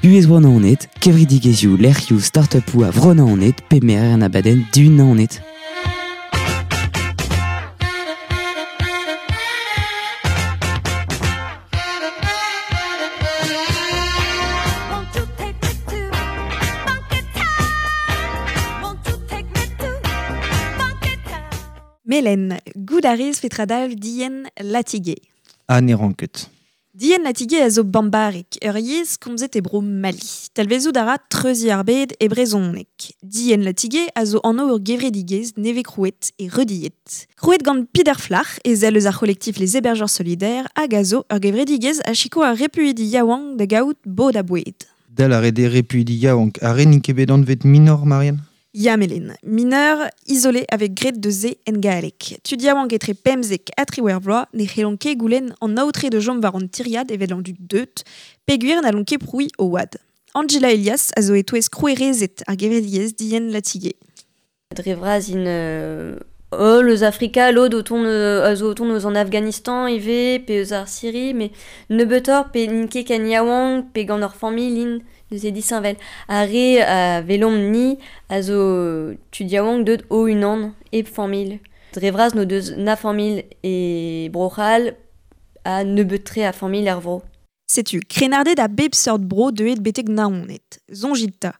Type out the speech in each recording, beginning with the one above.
Buhez Bro-Naoned, kevredigezhioù, lec'hioù, start-upoù a Vro-Naoned pe merer an abadenn Du Naoned. Melen, goût a rez petra dalv Dien Latigé. Ha ne ran ket. Dien Latigé a zo bambarek, ur yezh komzet e bro Mali. Talvezout a ra treuziñ ar bed e brezhoneg. Dien Latigé a zo anv ur gevredigezh nevez krouet e Reudied. Krouet gant Peter Flach, ezel eus ar c'holektif Les Hébergeurs Solidaires, hag a zo ur gevredigezh a sikour ar repuidi yaouank da gaout bod ha boued. Dal a rede repuidi yaouank, ar re n'int ket bet anvet minor, Marianne? Ya Melen, mineur isolé avec gret de ze en gaelek. Tud yaouank etre pemzek ha triwec'h vloaz ne c'hellont ket goulenn an aotre de chom war an tiriad evel an dud deut, peogwir n'hallont ket prouiñ o oad. Angela Elias a zo e-touez krouerezed ar gevredigezh Dien Latigé. Dre vras int holl eus Afrika, lod o tont a zo o tont eus an Afghanistan ivez, pe eus ar Syrie, met nebeutoc'h pe n'int ket ken yaouank pe gant ur familh int. Neuze disheñvel. Ar re a welomp-ni a zo tud yaouank deuet o-unan, hep familh. Dre vras n'o deus na familh e Bro-C'hall ha nebeut-tre a familh er vro. Setu, krennarded a bep seurt bro deuet betek Naoned. Soñjit 'ta.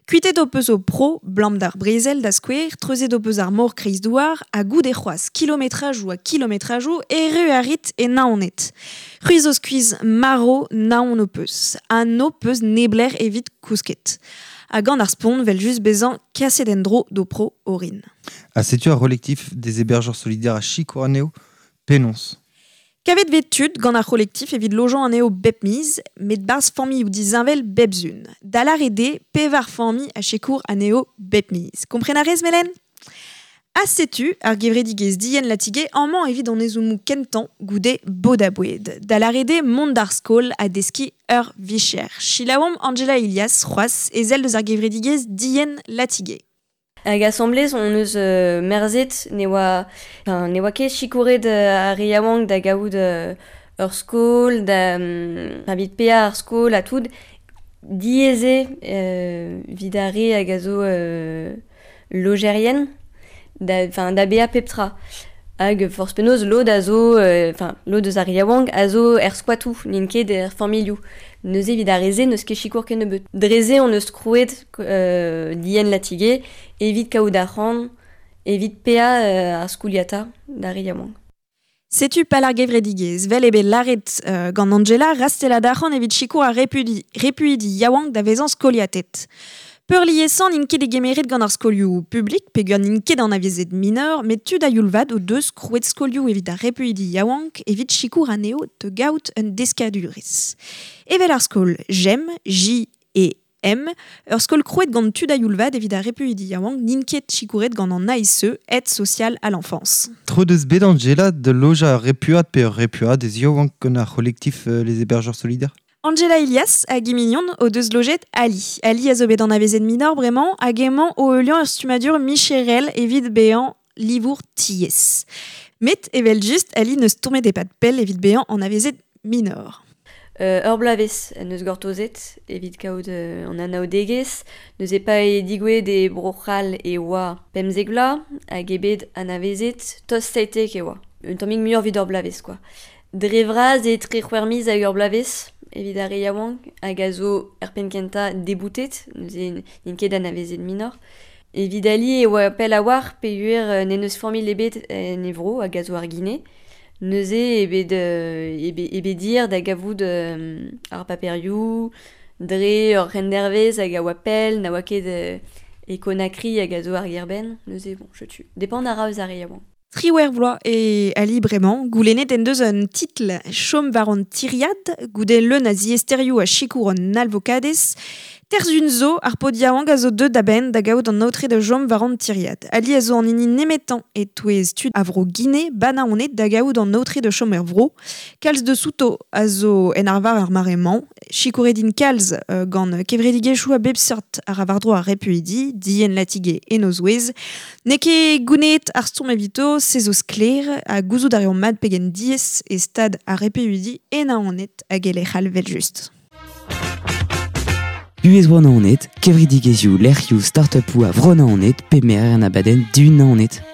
Kuitet ho peus ho pro, 'blam d'ar brezel da skouer, treuzet ho peus ar mor kreizdouar, ha goude c'hoazh kilometrajoù ha kilometrajoù erru a rit e Naoned. C'hwi zo skuizh marv naon ho peus, ha n'ho peus neblec'h evit kousket. Ha gant ar spont 'vel-just bezañ kaset en-dro d'ho pro orin. Ha setu ar c'holektif des hébergeurs solidaires a sikour anezho penaos? Kavet 'vez tud gant ar c'holektif evit lojañ anezho bep miz, met 'barzh familhoù disheñvel bep sun. Da lâret eo pevar familh a sikour anezho bep miz. Kompren a rez, Melen? Ha setu ar gevredigezh Dien Latigé amañ evit an ezhommoù kentañ goude bod ha boued. Da lâret eo mont d'ar skol ha deskiñ ur vicher. Selaouomp Angela Ilias c'hoazh, ezel eus ar gevredigezh Dien Latigé. Hag asambles hon eus merzet ne oa, enfin, ne oa ket sikouret ar re yaouank da gaout ur skol, da evit paeañ ar skol ha tout. Diaes eo evit ar re hag a zo lojerien da, enfin, da baeañ pep tra. Hag forzh penaos lod a zo, enfin lod eus ar re yaouank a zo er squatoù, n'int ket er familhoù. Neuze evit ar re-se n'eus ket sikour kennebeut. Dre-se hon eus krouet Dien Latigé evit kaout arc'hant, evit paeañ ar skoliata d'ar re yaouank. Setu pal ar gevredigezh, 'vel eo bet lâret gant Angela, rastellat arc'hant evit sikour ar repuidi, repuidi yaouank da vezañ skoliatet. Peurliesañ n'int ket degemeret gant ar skolioù publik peogwir n'int ket anavezet mineur, met tud a-youl vat o deus krouet skolioù evit ar repuidi yaouank evit sikour anezho da gaout un deskadurezh. Evel ar skol JEM, J E M, ur skol krouet gant tud a-youl vat evit ar repuidi yaouank n'int ket sikouret gant an ASE, Aide sociale à l'enfance. Tro deus bet Angela da lojañ ur repuad pe ur repuadez yaouank gant ar c'holektif Les Hébergeurs Solidaires? Angela Ilias hag he mignon o deus lojet Ali. Ali a zo bet anavezet minor bremañ hag emañ o heuliañ ur stummadur micherel evit bezañ livour tiez. Met evel-just, Ali n'eus stourmet e-pad pell evit bezañ anavezet minor. Ur bloavezh en deus gortozet evit kaout an anaoudegezh. Neuze pa eo digouezhet e Bro-C'hall e oa 15 vloaz hag eo bet anavezet tost 17 e oa. Un tammig muioc'h evit ur bloavezh kwa. Dre vras eo tre c'hwec'h miz hag ur bloavezh evit ar re yaouank hag a zo er penn-kentañ deboutet, neuze n'int ket anavezet minor. Evit Ali e oa pell a-walc'h peogwir n'en deus familh ebet en e vro hag a zo ar Gine. Neuze eo bet, eo bet dir da gavout ar paperioù dre ur c'hendervezh hag a oa pell, na oa ket e Conakry hag a zo ar gêr-benn. Neuze bon, setu. Depend a ra eus ar re yaouank. 18 vloaz eo Ali bremañ. Goulennet en deus un titl chom war an tiriad goude leun a ziaesterioù ha sikour an alvokadez. Terzhun zo, ar paotr yaouank a zo deuet a-benn da gaout an aotre da chom war an tiriad. Ali a zo an hini nemetañ e-touez tud a vro Gine, Banaoned da gaout an aotre da chom er vro. Kalz deus outo a zo en arvar ar mare-mañ. Sikouret int kalz gant kevredigezhioù a bep seurt a ra war-dro ar repuidi, Dien Latigé en o zouez. N'eo ket gouneet ar stourm evito, se zo sklaer, ha gouzout a reomp mat pegen diaes e stad ar repuidi e Naoned hag e lec'h all evel-just. Buhez Bro Naoned, kevredigezhioù, lec'hioù, start-upoù a Vro Naoned, pe merer an abadenn du Naoned.